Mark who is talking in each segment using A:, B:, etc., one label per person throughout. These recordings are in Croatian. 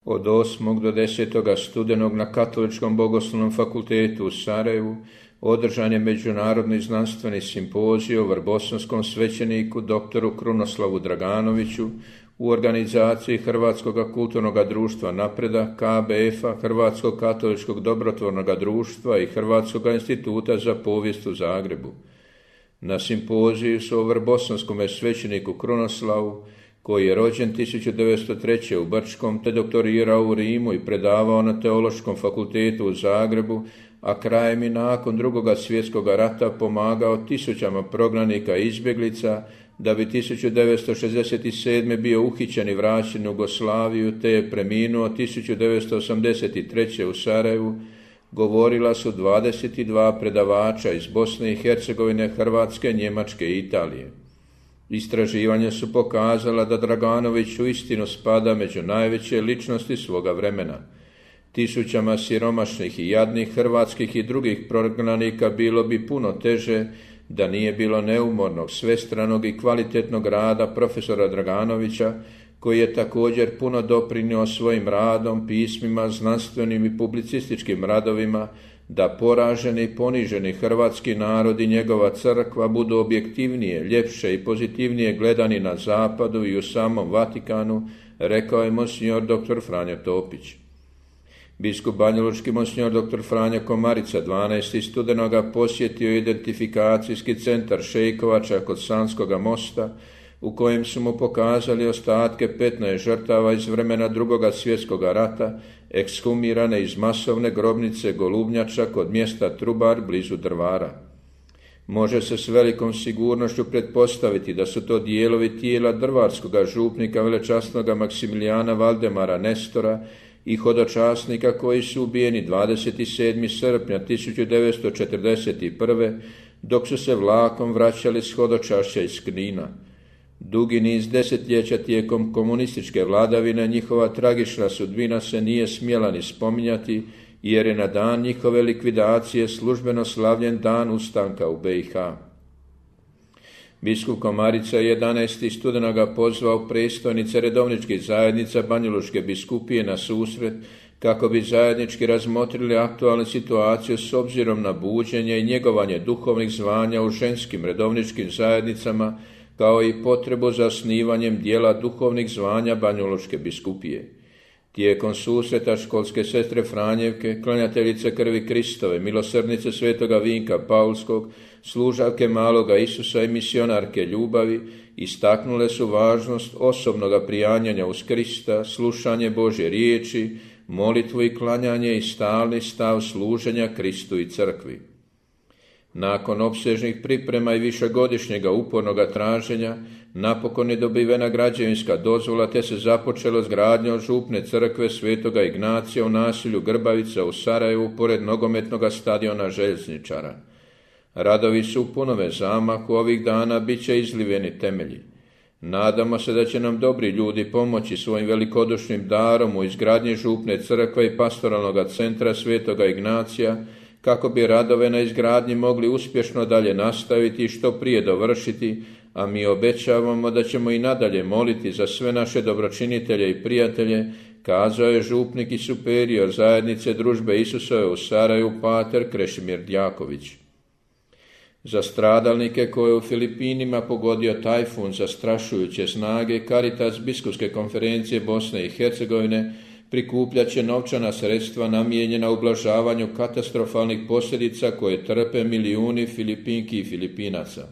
A: Od 8. do 10. studenog na Katoličkom bogoslovnom fakultetu u Sarajevu održan je međunarodni znanstveni simpozij o vrbosanskom svećeniku doktoru Krunoslavu Draganoviću u organizaciji Hrvatskog kulturnog društva Napredak, KBF-a, Hrvatskog katoličkog dobrotvornog društva i Hrvatskog instituta za povijest u Zagrebu. Na simpoziju su o vrbosanskom svećeniku Krunoslavu, koji je rođen 1903. u Brčkom te doktorirao u Rimu i predavao na Teološkom fakultetu u Zagrebu, a krajem i nakon Drugog svjetskog rata pomagao tisućama prognanika i izbjeglica, da bi 1967. bio uhićen i vraćen u Jugoslaviju te je preminuo 1983. u Sarajevu, govorila su 22 predavača iz Bosne i Hercegovine, Hrvatske, Njemačke i Italije. Istraživanja su pokazala da Draganović uistinu spada među najveće ličnosti svoga vremena. Tisućama siromašnih i jadnih hrvatskih i drugih prognanika bilo bi puno teže da nije bilo neumornog, svestranog i kvalitetnog rada profesora Draganovića, koji je također puno doprinio svojim radom, pismima, znanstvenim i publicističkim radovima, da poraženi i poniženi hrvatski narod i njegova crkva budu objektivnije, ljepše i pozitivnije gledani na zapadu i u samom Vatikanu, rekao je monsignor dr. Franjo Topić. Biskup banjalučki monsignor dr. Franjo Komarica 12. studenoga posjetio identifikacijski centar Šejkovača kod Sanskoga mosta, u kojem su mu pokazali ostatke 15 žrtava iz vremena Drugog svjetskog rata, ekshumirane iz masovne grobnice Golubnjača kod mjesta Trubar blizu Drvara. Može se s velikom sigurnošću pretpostaviti da su to dijelovi tijela drvarskoga župnika velečasnoga Maksimilijana Valdemara Nestora i hodočasnika koji su ubijeni 27. srpnja 1941. dok su se vlakom vraćali s hodočašća iz Knina. Dugi niz desetljeća tijekom komunističke vladavine njihova tragična sudbina se nije smjela ni spominjati, jer je na dan njihove likvidacije službeno slavljen dan ustanka u BiH. Biskup Komarica 11. studenoga pozvao predstojnice redovničkih zajednica Banjalučke biskupije na susret kako bi zajednički razmotrili aktualnu situaciju s obzirom na buđenje i njegovanje duhovnih zvanja u ženskim redovničkim zajednicama, kao i potrebu za osnivanjem dijela duhovnih zvanja Banjalučke biskupije. Tijekom susreta školske sestre Franjevke, klanjateljice krvi Kristove, milosrdnice svetoga Vinka Paulskog, služavke maloga Isusa i misionarke ljubavi, istaknule su važnost osobnoga prijanjanja uz Krista, slušanje Božje riječi, molitvu i klanjanje i stalni stav služenja Kristu i crkvi. Nakon opsežnih priprema i višegodišnjega upornoga traženja, napokon je dobivena građevinska dozvola te se započelo s gradnjom župne crkve svetoga Ignacija u naselju Grbavica u Sarajevu pored nogometnog stadiona Željezničara. Radovi su u punome zamahu, ovih dana bit će izliveni temelji. Nadamo se da će nam dobri ljudi pomoći svojim velikodušnim darom u izgradnji župne crkve i pastoralnog centra svetoga Ignacija, kako bi radove na izgradnji mogli uspješno dalje nastaviti i što prije dovršiti, a mi obećavamo da ćemo i nadalje moliti za sve naše dobročinitelje i prijatelje, kazao je župnik i superior zajednice Družbe Isusove u Sarajevu pater Krešimir Djaković. Za stradalnike koje je u Filipinima pogodio tajfun zastrašujuće snage, Caritas Biskupske konferencije Bosne i Hercegovine prikupljat će novčana sredstva namijenjena ublažavanju katastrofalnih posljedica koje trpe milijuni Filipinki i Filipinaca.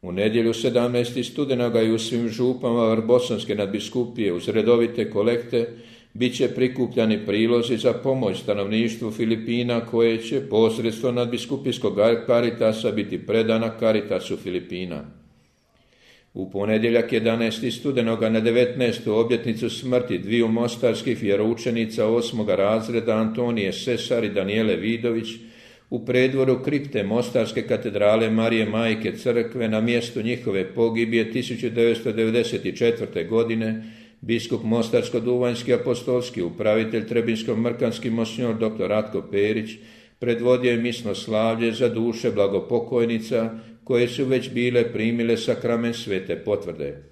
A: U nedjelju 17. studenoga i u svim župama Vrbosanske nadbiskupije uz redovite kolekte bit će prikupljani prilozi za pomoć stanovništvu Filipina koje će posredstvom nadbiskupijskog Caritasa biti predana Caritasu Filipina. U ponedjeljak 11. studenoga na 19. obljetnicu smrti dviju mostarskih vjeroučenica 8. razreda Antonije Sesar i Danijele Vidović u predvoru kripte Mostarske katedrale Marije Majke Crkve na mjestu njihove pogibije 1994. godine biskup Mostarsko-Duvanjski apostolski upravitelj Trebinsko-Mrkanski monsignor dr. Ratko Perić predvodio je misno slavlje za duše blagopokojnica koje su već bile primile sakrament svete potvrde.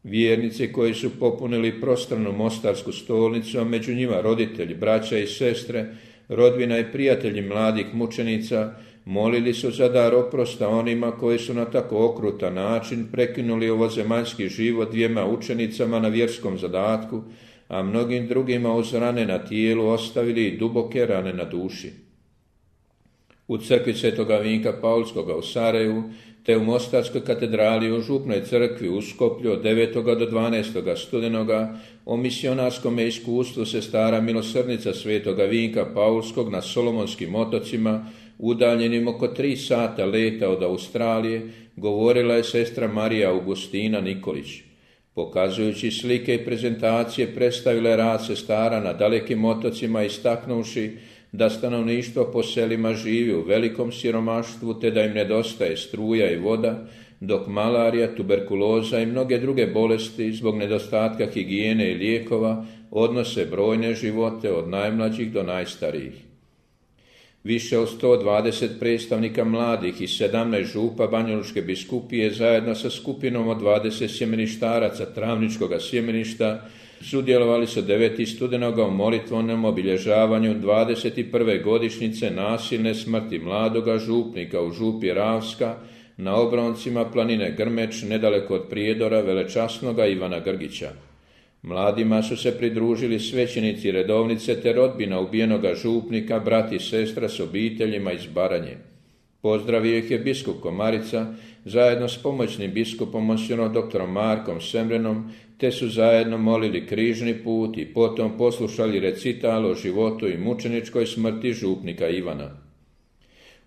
A: Vjernici koji su popunili prostranu mostarsku stolnicu, a među njima roditelji, braća i sestre, rodbina i prijatelji mladih mučenica, molili su za dar oprosta onima koji su na tako okrutan način prekinuli ovozemaljski život 2 učenicama na vjerskom zadatku, a mnogim drugima uz rane na tijelu ostavili i duboke rane na duši. U crkvi Svetoga Vinka Paulskoga u Sarajevu, te u Mostarskoj katedrali u Župnoj crkvi u Skoplju od 9. do 12. studenoga o misionarskom iskustvu sestara milosrdnica Svetoga Vinka Paulskog na Solomonskim otocima, udaljenim oko 3 sata leta od Australije, govorila je sestra Marija Augustina Nikolić. Pokazujući slike i prezentacije, predstavila je rad sestara na dalekim otocima, istaknuvši da stanovništvo po selima živi u velikom siromaštvu te da im nedostaje struja i voda, dok malarija, tuberkuloza i mnoge druge bolesti zbog nedostatka higijene i lijekova odnose brojne živote od najmlađih do najstarijih. Više od 120 predstavnika mladih i 17 župa Banjalučke biskupije zajedno sa skupinom od 20 sjemeništaraca Travničkoga sjemeništa sudjelovali su 9. studenoga u molitvenom obilježavanju 21. godišnjice nasilne smrti mladoga župnika u župi Ravska na obroncima planine Grmeč nedaleko od Prijedora velečasnoga Ivana Grgića. Mladima su se pridružili svećenici redovnice te rodbina ubijenoga župnika, brat i sestra s obiteljima iz Baranje. Pozdravio ih je biskup Komarica zajedno s pomoćnim biskupom monsignorom dr. Markom Semrenom, te su zajedno molili križni put i potom poslušali recital o životu i mučeničkoj smrti župnika Ivana.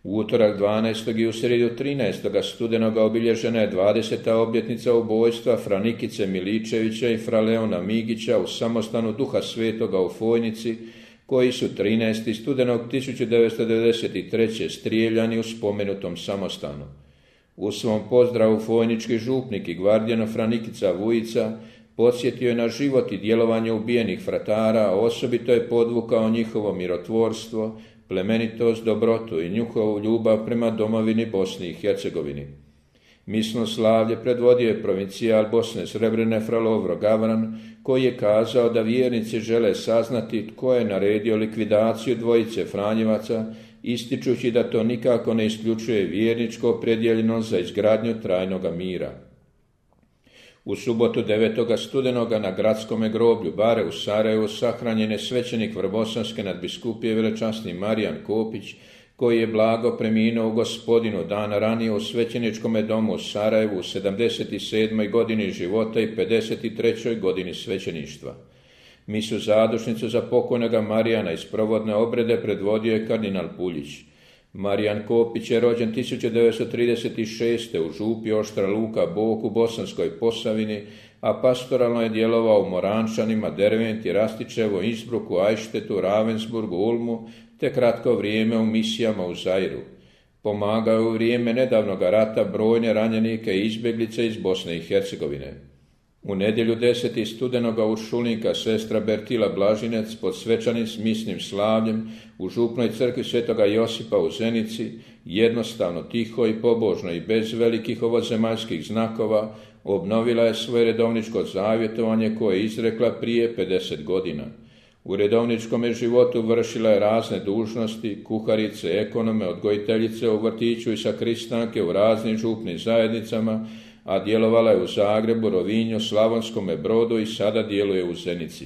A: U utorak 12. i u srijedu 13. studenoga obilježena je 20. obljetnica ubojstva Franikice Miličevića i fra Leona Migića u samostanu Duha Svetoga u Fojnici, koji su 13. studenog 1993. strijeljani u spomenutom samostanu. U svom pozdravu fojnički župnik i gvardijano Franikica Vujica podsjetio je na život i djelovanje ubijenih fratara, a osobito je podvukao njihovo mirotvorstvo, plemenitost, dobrotu i njihovu ljubav prema domovini Bosni i Hercegovini. Misno slavlje predvodio je provincijal Bosne Srebrene fra Lovro Gavran, koji je kazao da vjernici žele saznati tko je naredio likvidaciju dvojice Franjevaca, ističući da to nikako ne isključuje vjerničko opredjeljenost za izgradnju trajnoga mira. U subotu 9. studenoga na gradskome groblju Bare u Sarajevu sahranjen je svećenik Vrbosanske nadbiskupije velečasni Marijan Kopić, koji je blago preminuo u Gospodinu dana ranije u svećeničkome domu u Sarajevu u 77. godini života i 53. godini svećeništva. Misu zadušnicu za pokojnoga Marijana iz provodne obrede predvodio je kardinal Puljić. Marijan Kopić je rođen 1936. u župi Oštra Luka Bog u Bosanskoj Posavini, a pastoralno je djelovao u Morančanima, Derventi, Rastičevo, Innsbrucku, Ajštetu, Ravensburgu, Ulmu, te kratko vrijeme u misijama u Zairu. Pomagao je u vrijeme nedavnog rata brojne ranjenike i izbjeglice iz Bosne i Hercegovine. U nedjelju 10. studenoga u Šulinka sestra Bertila Blažinec pod svečanim misnim slavljem u župnoj crkvi Svetoga Josipa u Zenici, jednostavno, tiho i pobožno i bez velikih ovozemaljskih znakova, obnovila je svoje redovničko zavjetovanje koje je izrekla prije 50 godina. U redovničkom životu vršila je razne dužnosti, kuharice, ekonome, odgojiteljice u vrtiću i sakristanke u raznim župnim zajednicama, a djelovala je u Zagrebu, Rovinju, Slavonskome Brodu i sada djeluje u Zenici.